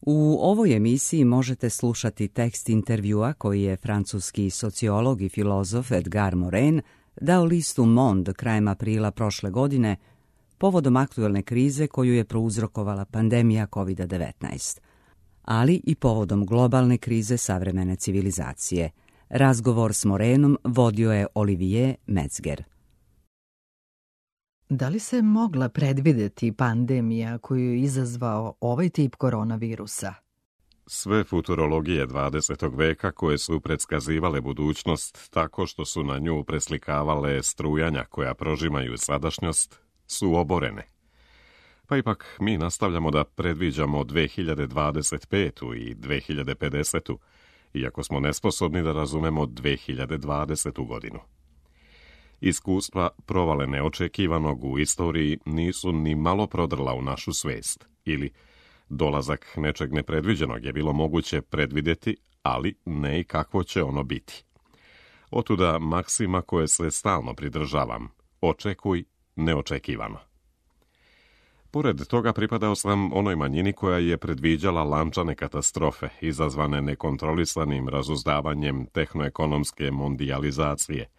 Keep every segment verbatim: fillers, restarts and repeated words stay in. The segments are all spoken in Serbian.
U ovoj emisiji možete slušati tekst intervjua koji je francuski sociolog i filozof Edgar Morin dao listu Monde krajem aprila prošle godine povodom aktuelne krize koju je prouzrokovala pandemija kovid devetnaest, ali i povodom globalne krize savremene civilizacije. Razgovor s Morinom vodio je Olivier Metzger. Da li se mogla predvideti pandemija koju je izazvao ovaj tip koronavirusa? Sve futurologije dvadesetog veka koje su predskazivale budućnost tako što su na nju preslikavale strujanja koja prožimaju sadašnjost su oborene. Pa ipak mi nastavljamo da predviđamo dve hiljade dvadeset petu i dve hiljade pedesetu, iako smo nesposobni da razumemo dve hiljade dvadesetu godinu. Iskustva provale neočekivanog u istoriji nisu ni malo prodrla u našu svest, ili dolazak nečeg nepredviđenog je bilo moguće predvidjeti, ali ne i kakvo će ono biti. Otuda maksima koje se stalno pridržavam: očekuj neočekivano. Pored toga pripadao sam onoj manjini koja je predviđala lančane katastrofe izazvane nekontrolisanim razuzdavanjem tehnoekonomske mondijalizacije,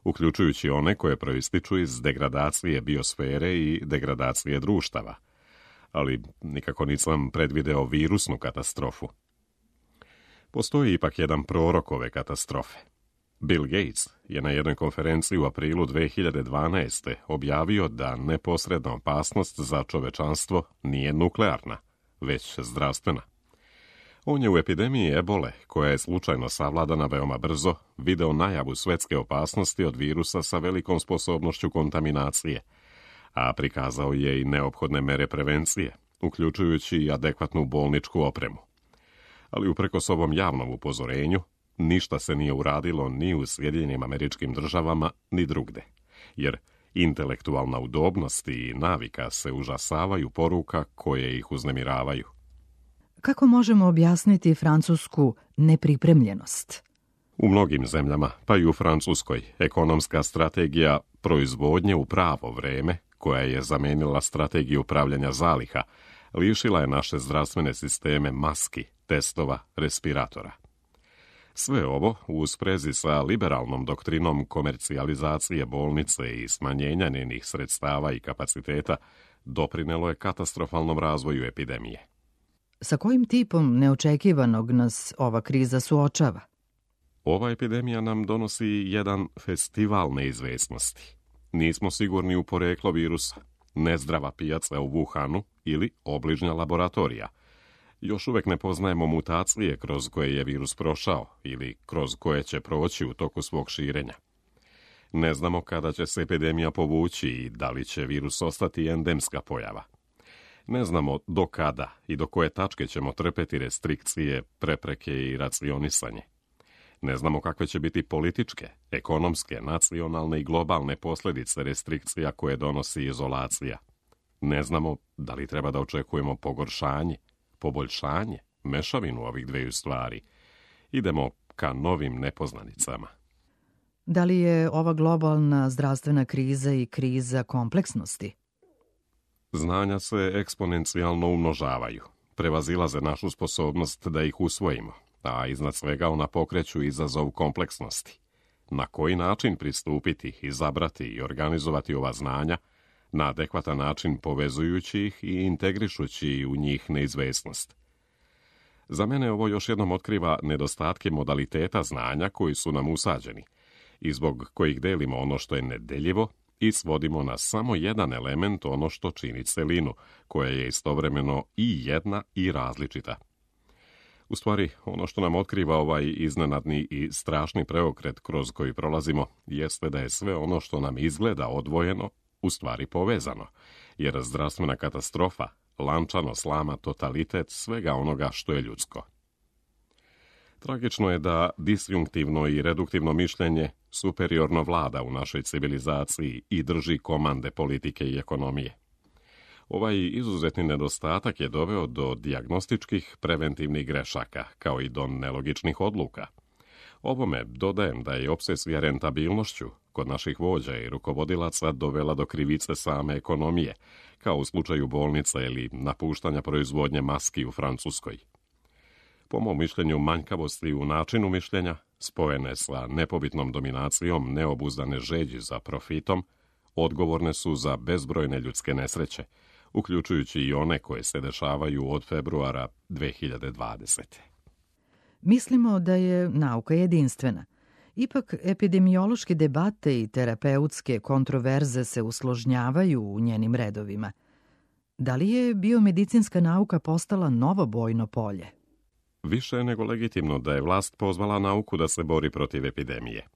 uključujući one koje proističu iz degradacije biosfere i degradacije društava. Ali nikako nisam predvideo virusnu katastrofu. Postoji ipak jedan prorok ove katastrofe. Bill Gates je na jednoj konferenciji u aprilu dve hiljade dvanaeste. objavio da neposredna opasnost za čovečanstvo nije nuklearna, već zdravstvena. On je u epidemiji ebole, koja je slučajno savladana veoma brzo, video najavu svetske opasnosti od virusa sa velikom sposobnošću kontaminacije, a prikazao je i neophodne mere prevencije, uključujući i adekvatnu bolničku opremu. Ali uprkos ovom javnom upozorenju, ništa se nije uradilo ni u Sjedinjenim Američkim Državama, ni drugde, jer intelektualna udobnost i navika se užasavaju poruka koje ih uznemiravaju. Kako možemo objasniti francusku nepripremljenost? U mnogim zemljama, pa i u Francuskoj, ekonomska strategija proizvodnje u pravo vreme, koja je zamenila strategiju upravljanja zaliha, lišila je naše zdravstvene sisteme maski, testova, respiratora. Sve ovo, u sprezi sa liberalnom doktrinom komercijalizacije bolnice i smanjenja njenih sredstava i kapaciteta, doprinelo je katastrofalnom razvoju epidemije. Sa kojim tipom neočekivanog nas ova kriza suočava? Ova epidemija nam donosi jedan festival neizvesnosti. Nismo sigurni u poreklo virusa, nezdrava pijaca u Wuhanu ili obližnja laboratorija. Još uvek ne poznajemo mutacije kroz koje je virus prošao ili kroz koje će proći u toku svog širenja. Ne znamo kada će se epidemija povući i da li će virus ostati endemska pojava. Ne znamo do kada i do koje tačke ćemo trpeti restrikcije, prepreke i racionisanje. Ne znamo kakve će biti političke, ekonomske, nacionalne i globalne posljedice restrikcija koje donosi izolacija. Ne znamo da li treba da očekujemo pogoršanje, poboljšanje, mešavinu ovih dveju stvari. Idemo ka novim nepoznanicama. Da li je ova globalna zdravstvena kriza i kriza kompleksnosti? Znanja se eksponencijalno umnožavaju, prevazilaze našu sposobnost da ih usvojimo, a iznad svega ona pokreću izazov kompleksnosti. Na koji način pristupiti, izabrati i organizovati ova znanja, na adekvatan način povezujući ih i integrišući u njih neizvesnost. Za mene ovo još jednom otkriva nedostatke modaliteta znanja koji su nam usađeni i zbog kojih delimo ono što je nedeljivo i svodimo na samo jedan element ono što čini celinu, koja je istovremeno i jedna i različita. U stvari, ono što nam otkriva ovaj iznenadni i strašni preokret kroz koji prolazimo jeste da je sve ono što nam izgleda odvojeno u stvari povezano, jer zdravstvena katastrofa lančano slama totalitet svega onoga što je ljudsko. Tragično je da disjunktivno i reduktivno mišljenje superiorno vlada u našoj civilizaciji i drži komande politike i ekonomije. Ovaj izuzetni nedostatak je doveo do dijagnostičkih preventivnih grešaka, kao i do nelogičnih odluka. Ovome dodajem da je opsesija rentabilnošću kod naših vođa i rukovodilaca dovela do krivice same ekonomije, kao u slučaju bolnica ili napuštanja proizvodnje maski u Francuskoj, Po mom mišljenju, manjkavosti u načinu mišljenja, spojene sa nepobitnom dominacijom neobuzdane žeđi za profitom, odgovorne su za bezbrojne ljudske nesreće, uključujući i one koje se dešavaju od februara dve hiljade dvadesete. Mislimo da je nauka jedinstvena. Ipak, epidemiološke debate i terapeutske kontroverze se usložnjavaju u njenim redovima. Da li je biomedicinska nauka postala novo bojno polje? Više je nego legitimno da je vlast pozvala nauku da se bori protiv epidemije.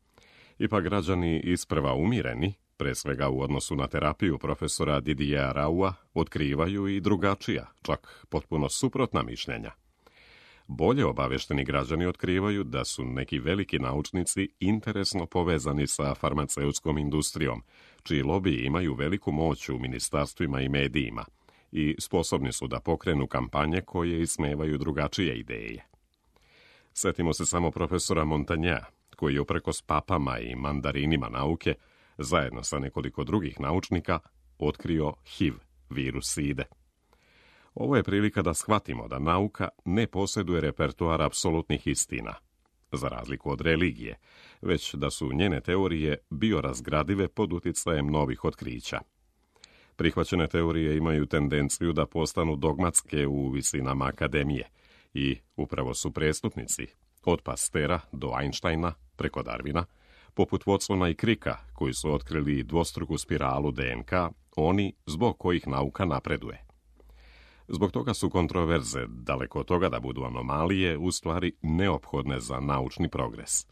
Ipak građani isprva umireni, pre svega u odnosu na terapiju profesora Didiera Raua, otkrivaju i drugačija, čak potpuno suprotna mišljenja. Bolje obavešteni građani otkrivaju da su neki veliki naučnici interesno povezani sa farmaceutskom industrijom, čiji lobiji imaju veliku moć u ministarstvima i medijima i sposobni su da pokrenu kampanje koje ismevaju drugačije ideje. Setimo se samo profesora Montagnea, koji je uprkos papama i mandarinima nauke, zajedno sa nekoliko drugih naučnika, otkrio H I V, virus side. Ovo je prilika da shvatimo da nauka ne posjeduje repertoar apsolutnih istina, za razliku od religije, već da su njene teorije biorazgradive pod uticajem novih otkrića. Prihvaćene teorije imaju tendenciju da postanu dogmatske u visinama akademije i upravo su prestupnici, od Pastera do Einsteina preko Darwina, poput Watsona i Cricka, koji su otkrili dvostruku spiralu D N K, oni zbog kojih nauka napreduje. Zbog toga su kontroverze, daleko od toga da budu anomalije, u stvari neophodne za naučni progres.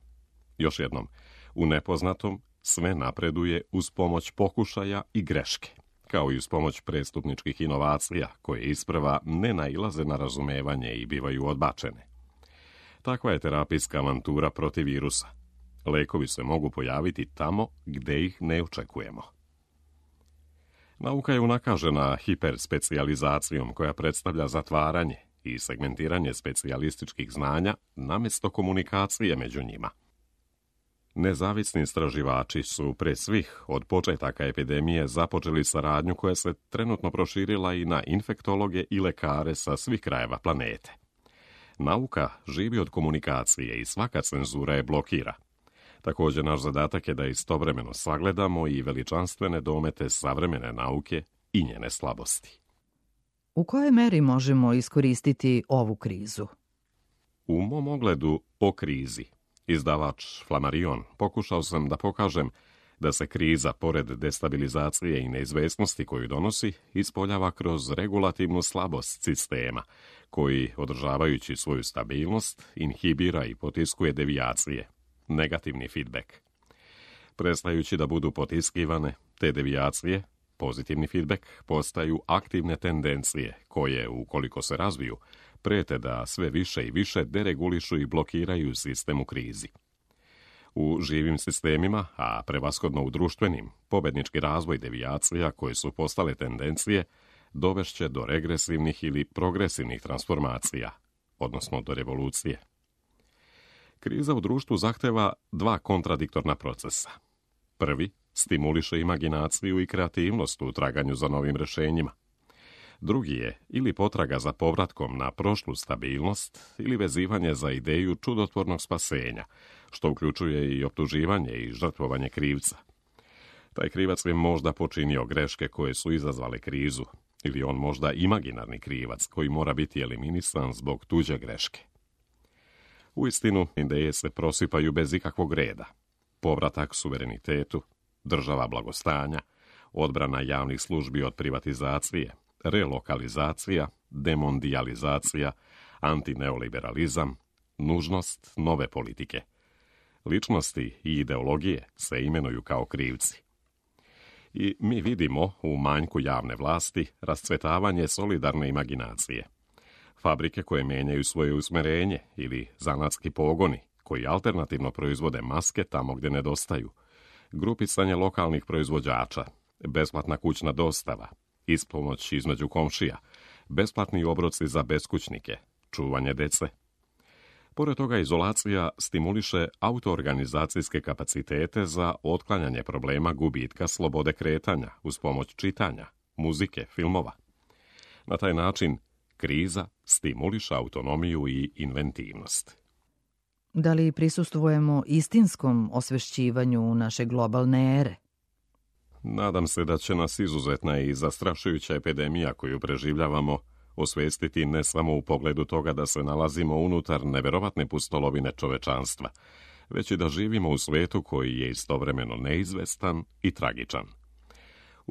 Još jednom, u nepoznatom sve napreduje uz pomoć pokušaja i greške, kao i uz pomoć prestupničkih inovacija, koje isprva ne nailaze na razumevanje i bivaju odbačene. Takva je terapijska avantura protiv virusa. Lekovi se mogu pojaviti tamo gde ih ne očekujemo. Nauka je unakažena hiperspecijalizacijom koja predstavlja zatvaranje i segmentiranje specijalističkih znanja namjesto komunikacije među njima. Nezavisni istraživači su pre svih od početaka epidemije započeli saradnju koja se trenutno proširila i na infektologe i lekare sa svih krajeva planete. Nauka živi od komunikacije i svaka cenzura je blokira. Također, naš zadatak je da istovremeno sagledamo i veličanstvene domete savremene nauke i njene slabosti. U kojoj meri možemo iskoristiti ovu krizu? U mom ogledu o krizi, izdavač Flammarion, pokušao sam da pokažem da se kriza, pored destabilizacije i neizvesnosti koju donosi, ispoljava kroz regulativnu slabost sistema, koji, održavajući svoju stabilnost, inhibira i potiskuje devijacije, negativni feedback. Prestajući da budu potiskivane, te devijacije, pozitivni feedback, postaju aktivne tendencije koje, ukoliko se razviju, prete da sve više i više deregulišu i blokiraju sistem u krizi. U živim sistemima, a prevashodno u društvenim, pobednički razvoj devijacija koje su postale tendencije dovešće do regresivnih ili progresivnih transformacija, odnosno do revolucije. Kriza u društvu zahteva dva kontradiktorna procesa. Prvi stimuliše imaginaciju i kreativnost u traganju za novim rešenjima. Drugi je ili potraga za povratkom na prošlu stabilnost ili vezivanje za ideju čudotvornog spasenja, što uključuje i optuživanje i žrtvovanje krivca. Taj krivac je možda počinio greške koje su izazvale krizu, ili on možda imaginarni krivac koji mora biti eliminisan zbog tuđe greške. Uistinu, ideje se prosipaju bez ikakvog reda. Povratak suverenitetu, država blagostanja, odbrana javnih službi od privatizacije, relokalizacija, demondijalizacija, antineoliberalizam, nužnost nove politike. Ličnosti i ideologije se imenuju kao krivci. I mi vidimo u manjku javne vlasti rascvetavanje solidarne imaginacije. Fabrike koje menjaju svoje usmerenje ili zanatski pogoni koji alternativno proizvode maske tamo gdje nedostaju, grupisanje lokalnih proizvođača, besplatna kućna dostava, ispomoć između komšija, besplatni obroci za beskućnike, čuvanje dece. Pored toga, izolacija stimuliše autoorganizacijske kapacitete za otklanjanje problema gubitka slobode kretanja uz pomoć čitanja, muzike, filmova. Na taj način, Kriza stimuliše autonomiju i inventivnost. Da li prisustvujemo istinskom osvešćivanju naše globalne ere? Nadam se da će nas izuzetna i zastrašujuća epidemija koju preživljavamo osvestiti ne samo u pogledu toga da se nalazimo unutar neverovatne pustolovine čovečanstva, već i da živimo u svetu koji je istovremeno neizvestan i tragičan.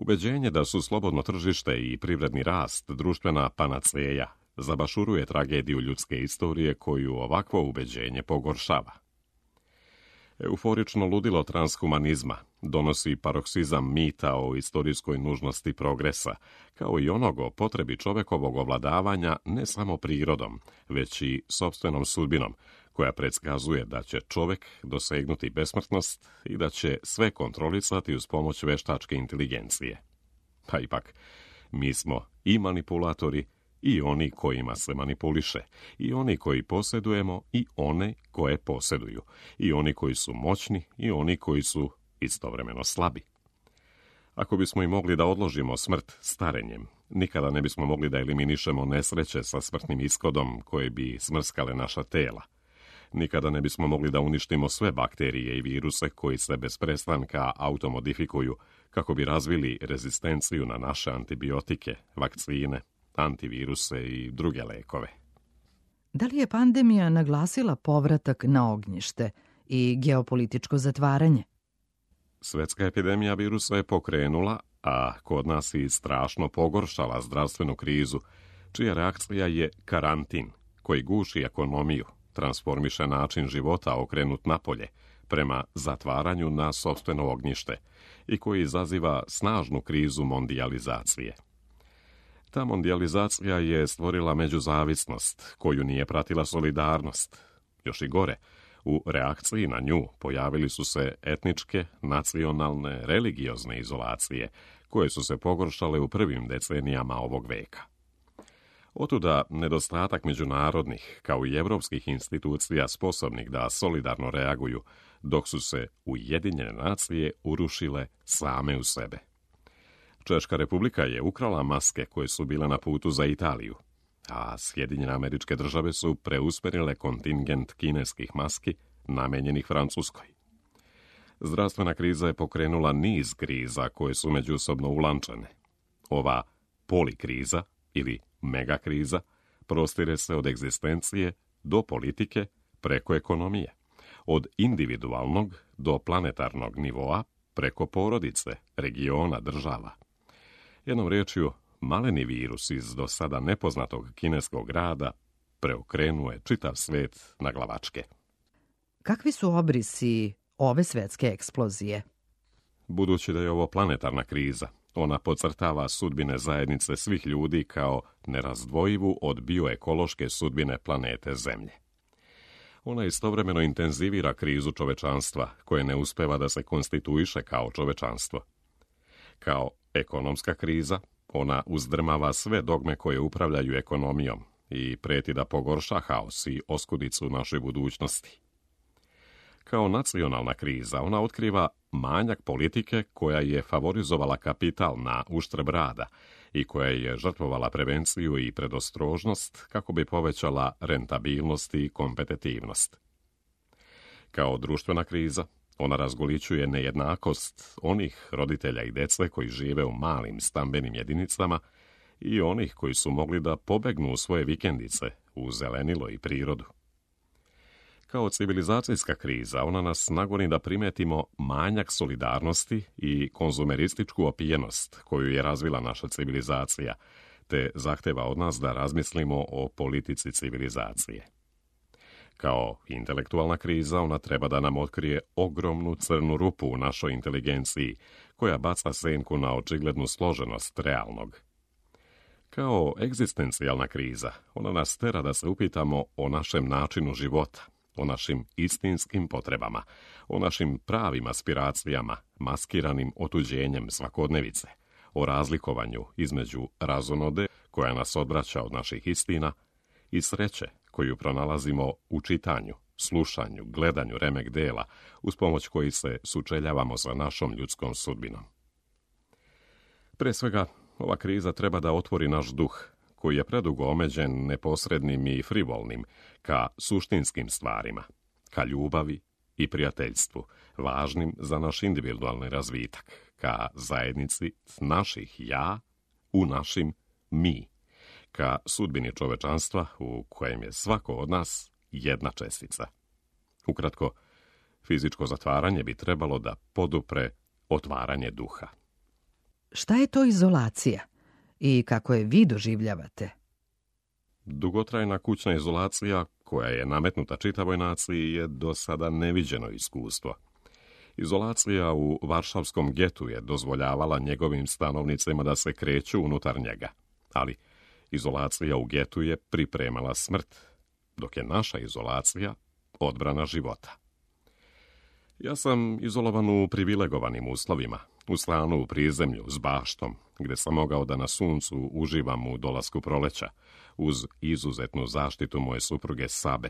Ubeđenje da su slobodno tržište i privredni rast društvena panaceja zabašuruje tragediju ljudske istorije koju ovakvo ubeđenje pogoršava. Euforično ludilo transhumanizma donosi paroksizam mita o istorijskoj nužnosti progresa, kao i onog o potrebi čovekovog ovladavanja ne samo prirodom, već i sopstvenom sudbinom, koja predskazuje da će čovek dosegnuti besmrtnost i da će sve kontrolisati uz pomoć veštačke inteligencije. Pa ipak, mi smo i manipulatori, i oni kojima se manipuliše, i oni koji posjedujemo, i one koje posjeduju, i oni koji su moćni, i oni koji su istovremeno slabi. Ako bismo i mogli da odložimo smrt starenjem, nikada ne bismo mogli da eliminišemo nesreće sa smrtnim ishodom koje bi smrskale naša tela. Nikada ne bismo mogli da uništimo sve bakterije i viruse koji se bez prestanka automodifikuju kako bi razvili rezistenciju na naše antibiotike, vakcine, antiviruse i druge lekove. Da li je pandemija naglasila povratak na ognjište i geopolitičko zatvaranje? Svetska epidemija virusa je pokrenula, a kod nas i strašno pogoršala zdravstvenu krizu, čija reakcija je karantin, koji guši ekonomiju, transformiše način života okrenut napolje, prema zatvaranju na sopstveno ognjište i koji izaziva snažnu krizu mondijalizacije. Ta mondijalizacija je stvorila međuzavisnost, koju nije pratila solidarnost. Još i gore, u reakciji na nju pojavili su se etničke, nacionalne, religiozne izolacije, koje su se pogoršale u prvim decenijama ovog veka. Otuda nedostatak međunarodnih, kao i evropskih institucija sposobnih da solidarno reaguju, dok su se Ujedinjene nacije urušile same u sebe. Češka republika je ukrala maske koje su bile na putu za Italiju, a Sjedinjene Američke Države su preusmerile kontingent kineskih maski namenjenih Francuskoj. Zdravstvena kriza je pokrenula niz kriza koje su međusobno ulančene. Ova polikriza ili megakriza prostire se od egzistencije do politike preko ekonomije, od individualnog do planetarnog nivoa preko porodice, regiona, država. Jednom riječju, maleni virus iz do sada nepoznatog kineskog grada preokrenuje čitav svet na glavačke. Kakvi su obrisi ove svetske eksplozije? Budući da je ovo planetarna kriza, ona podcrtava sudbine zajednice svih ljudi kao nerazdvojivu od bioekološke sudbine planete Zemlje. Ona istovremeno intenzivira krizu čovečanstva, koje ne uspeva da se konstituiše kao čovečanstvo. Kao ekonomska kriza, ona uzdrmava sve dogme koje upravljaju ekonomijom i preti da pogorša haos i oskudicu našoj budućnosti. Kao nacionalna kriza, ona otkriva manjak politike koja je favorizovala kapital na uštrb rada i koja je žrtvovala prevenciju i predostrožnost kako bi povećala rentabilnost i kompetitivnost. Kao društvena kriza, ona razgolićuje nejednakost onih roditelja i dece koji žive u malim stambenim jedinicama i onih koji su mogli da pobegnu u svoje vikendice u zelenilo i prirodu. Kao civilizacijska kriza, ona nas nagoni da primetimo manjak solidarnosti i konzumerističku opijenost koju je razvila naša civilizacija, te zahteva od nas da razmislimo o politici civilizacije. Kao intelektualna kriza, ona treba da nam otkrije ogromnu crnu rupu u našoj inteligenciji, koja baca senku na očiglednu složenost realnog. Kao egzistencijalna kriza, ona nas tera da se upitamo o našem načinu života, o našim istinskim potrebama, o našim pravim aspiracijama, maskiranim otuđenjem svakodnevice, o razlikovanju između razonode koja nas odvraća od naših istina i sreće koju pronalazimo u čitanju, slušanju, gledanju remek dela, uz pomoć koji se sučeljavamo sa našom ljudskom sudbinom. Pre svega, ova kriza treba da otvori naš duh, koji je predugo omeđen neposrednim i frivolnim ka suštinskim stvarima, ka ljubavi i prijateljstvu, važnim za naš individualni razvitak, ka zajednici naših ja u našim mi, ka sudbini čovečanstva u kojem je svako od nas jedna čestica. Ukratko, fizičko zatvaranje bi trebalo da podupre otvaranje duha. Šta je to izolacija i kako je vi doživljavate? Dugotrajna kućna izolacija, koja je nametnuta čitavoj naciji, je do sada neviđeno iskustvo. Izolacija u varšavskom getu je dozvoljavala njegovim stanovnicima da se kreću unutar njega, ali izolacija u getu je pripremala smrt, dok je naša izolacija odbrana života. Ja sam izolovan u privilegovanim uslovima, u stanu u prizemlju s baštom, gde sam mogao da na suncu uživam u dolasku proleća, uz izuzetnu zaštitu moje supruge Sabe.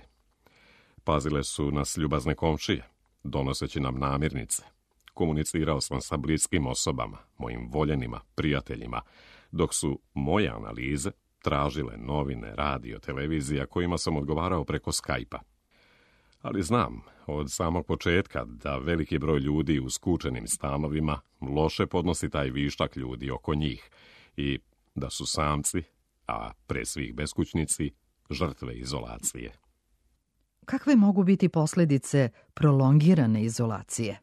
Pazile su nas ljubazne komšije, donoseći nam namirnice. Komunicirao sam sa bliskim osobama, mojim voljenima, prijateljima, dok su moje analize tražile novine, radio, televizija kojima sam odgovarao preko Skype-a. Ali znam od samog početka da veliki broj ljudi u skučenim stanovima loše podnosi taj višak ljudi oko njih i da su samci, a pre svih beskućnici, žrtve izolacije. Kakve mogu biti posljedice prolongirane izolacije?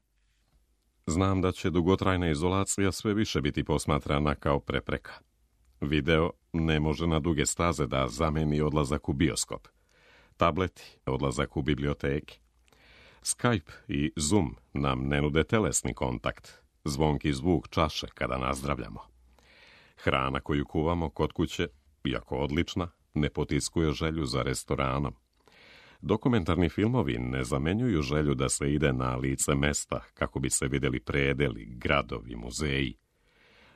Znam da će dugotrajna izolacija sve više biti posmatrana kao prepreka. Video ne može na duge staze da zameni odlazak u bioskop. Tableti, odlazak u biblioteke. Skype i Zoom nam ne nude telesni kontakt, zvonki zvuk čaše kada nazdravljamo. Hrana koju kuvamo kod kuće, iako odlična, ne potiskuje želju za restoranom. Dokumentarni filmovi ne zamenjuju želju da se ide na lice mesta kako bi se vidjeli predeli, gradovi, muzeji.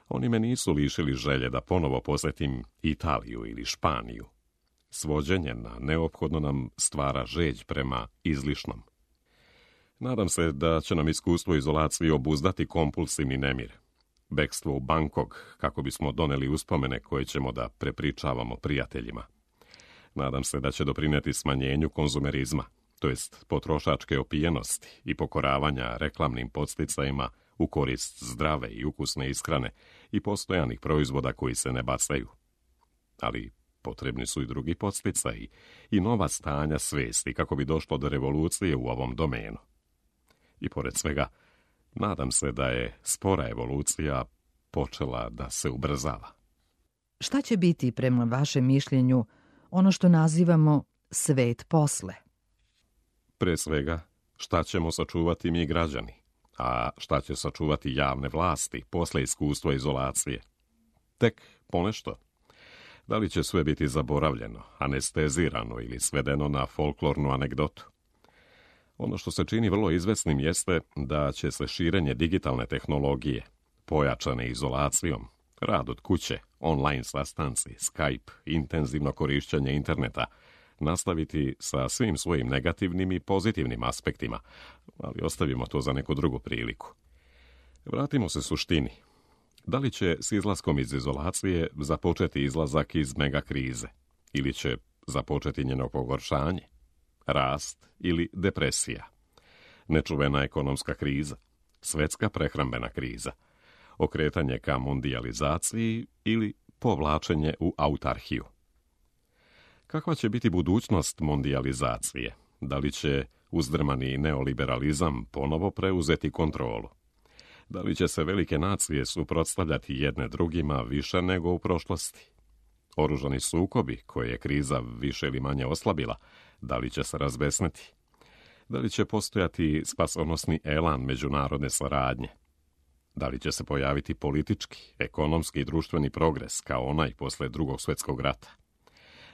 Oni me nisu lišili želje da ponovo posjetim Italiju ili Španiju. Svođenje na neophodno nam stvara žeđ prema izlišnom. Nadam se da će nam iskustvo izolacije obuzdati kompulsivni nemir. Bekstvo u Bangkok kako bismo doneli uspomene koje ćemo da prepričavamo prijateljima. Nadam se da će doprineti smanjenju konzumerizma, to jest potrošačke opijenosti i pokoravanja reklamnim podsticajima u korist zdrave i ukusne ishrane i postojanih proizvoda koji se ne bacaju. Ali potrebni su i drugi podsticaji i nova stanja svesti kako bi došlo do revolucije u ovom domenu. I pored svega, nadam se da je spora evolucija počela da se ubrzava. Šta će biti, prema vašem mišljenju, ono što nazivamo svet posle? Pre svega, šta ćemo sačuvati mi građani, a šta će sačuvati javne vlasti posle iskustva izolacije? Tek ponešto. Da li će sve biti zaboravljeno, anestezirano ili svedeno na folklornu anegdotu? Ono što se čini vrlo izvesnim jeste da će se širenje digitalne tehnologije, pojačane izolacijom, rad od kuće, online sastanci, Skype, intenzivno korišćenje interneta, nastaviti sa svim svojim negativnim i pozitivnim aspektima, ali ostavimo to za neku drugu priliku. Vratimo se suštini. Da li će s izlaskom iz izolacije započeti izlazak iz megakrize ili će započeti njeno pogoršanje, rast ili depresija, nečuvena ekonomska kriza, svetska prehrambena kriza, okretanje ka mondijalizaciji ili povlačenje u autarhiju? Kakva će biti budućnost mondijalizacije? Da li će uzdrmani neoliberalizam ponovo preuzeti kontrolu? Da li će se velike nacije suprotstavljati jedne drugima više nego u prošlosti? Oružani sukobi, koje je kriza više ili manje oslabila, da li će se razbesneti? Da li će postojati spasonosni elan međunarodne saradnje? Da li će se pojaviti politički, ekonomski i društveni progres kao onaj posle Drugog svjetskog rata?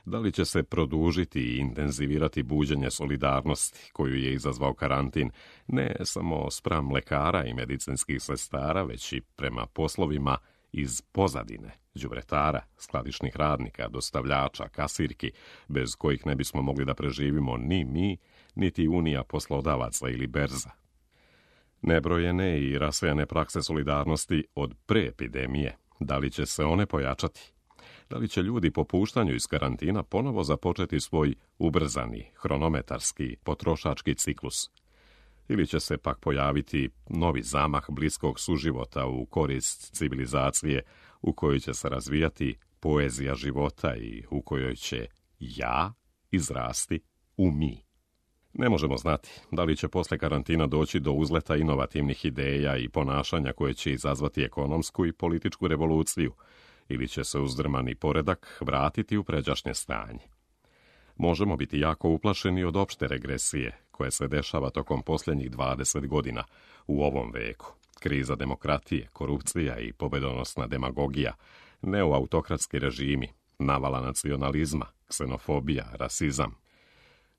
Da li će se produžiti i intenzivirati buđenje solidarnosti koju je izazvao karantin, ne samo spram lekara i medicinskih sestara, već i prema poslovima iz pozadine, đubretara, skladišnih radnika, dostavljača, kasirki, bez kojih ne bismo mogli da preživimo ni mi, niti Unija poslodavaca ili berza. Nebrojene i rasvejane prakse solidarnosti od pre epidemije, da li će se one pojačati? Da li će ljudi po puštanju iz karantina ponovo započeti svoj ubrzani, hronometarski, potrošački ciklus? Ili će se pak pojaviti novi zamah bliskog suživota u korist civilizacije u kojoj će se razvijati poezija života i u kojoj će ja izrasti u mi? Ne možemo znati da li će posle karantina doći do uzleta inovativnih ideja i ponašanja koje će izazvati ekonomsku i političku revoluciju, ili će se uzdrmani poredak vratiti u pređašnje stanje. Možemo biti jako uplašeni od opšte regresije koje se dešava tokom posljednjih dvadeset godina u ovom veku. Kriza demokratije, korupcija i pobedonosna demagogija, neoautokratski režimi, navala nacionalizma, ksenofobija, rasizam.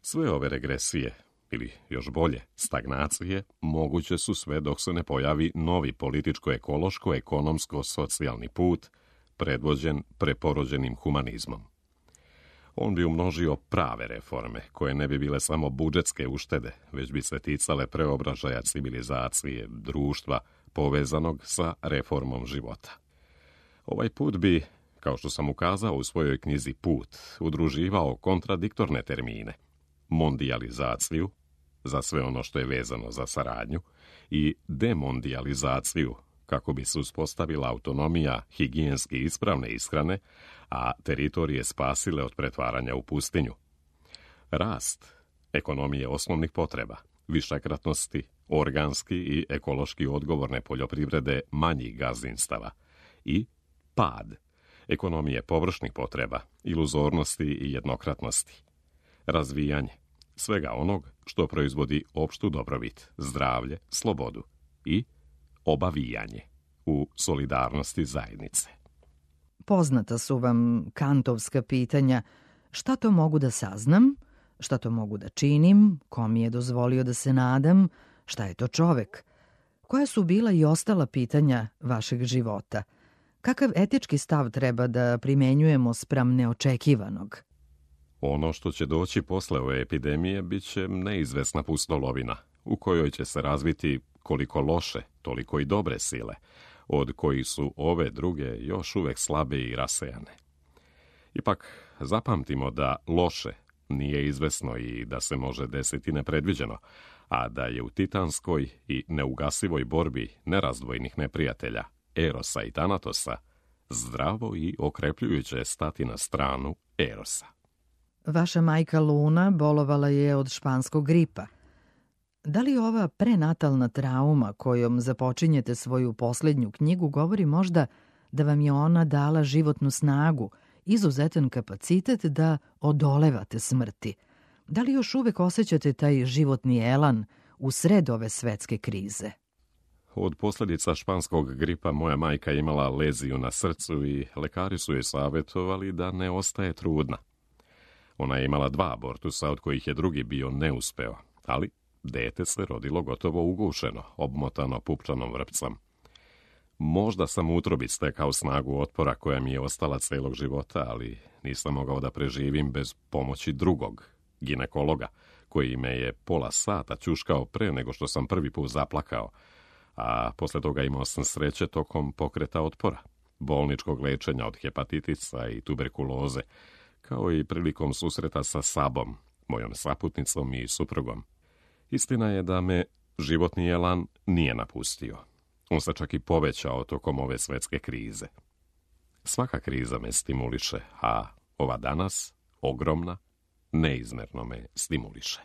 Sve ove regresije, ili još bolje, stagnacije, moguće su sve dok se ne pojavi novi političko-ekološko-ekonomsko-socijalni put, predvođen preporođenim humanizmom. On bi umnožio prave reforme, koje ne bi bile samo budžetske uštede, već bi se ticale preobražaja civilizacije, društva, povezanog sa reformom života. Ovaj put bi, kao što sam ukazao u svojoj knjizi Put, udruživao kontradiktorne termine: mondijalizaciju, za sve ono što je vezano za saradnju, i demondijalizaciju, kako bi se uspostavila autonomija higijenski ispravne ishrane, a teritorije spasile od pretvaranja u pustinju. Rast ekonomije osnovnih potreba, višekratnosti, organski i ekološki odgovorne poljoprivrede manjih gazdinstava i pad ekonomije površnih potreba, iluzornosti i jednokratnosti. Razvijanje svega onog što proizvodi opštu dobrobit, zdravlje, slobodu i obavijanje u solidarnosti zajednice. Poznata su vam kantovska pitanja: šta to mogu da saznam, šta to mogu da činim, ko mi je dozvolio da se nadam, šta je to čovek? Koja su bila i ostala pitanja vašeg života? Kakav etički stav treba da primenjujemo spram neočekivanog? Ono što će doći posle ove epidemije bit će neizvesna pustolovina, u kojoj će se razviti koliko loše, toliko i dobre sile, od kojih su ove druge još uvek slabe i rasejane. Ipak, zapamtimo da loše nije izvesno i da se može desiti nepredviđeno, a da je u titanskoj i neugasivoj borbi nerazdvojnih neprijatelja, Erosa i Tanatosa, zdravo i okrepljujuće stati na stranu Erosa. Vaša majka Luna bolovala je od španskog gripa. Da li ova prenatalna trauma kojom započinjete svoju posljednju knjigu govori možda da vam je ona dala životnu snagu, izuzetan kapacitet da odolevate smrti? Da li još uvek osjećate taj životni elan u sred ove svetske krize? Od posljedica španskog gripa moja majka imala leziju na srcu i lekari su joj savjetovali da ne ostaje trudna. Ona je imala dva abortusa, od kojih je drugi bio neuspeo, ali dete se rodilo gotovo ugušeno, obmotano pupčanom vrpcom. Možda sam u utrobi stekao snagu otpora koja mi je ostala celog života, ali nisam mogao da preživim bez pomoći drugog, ginekologa, koji me je pola sata ćuškao pre nego što sam prvi put zaplakao, a posle toga imao sam sreće tokom pokreta otpora, bolničkog lečenja od hepatitisa i tuberkuloze, kao i prilikom susreta sa Sabom, mojom saputnicom i suprugom. Istina je da me životni elan nije napustio. On se čak i povećao tokom ove svetske krize. Svaka kriza me stimuliše, a ova danas, ogromna, neizmerno me stimuliše.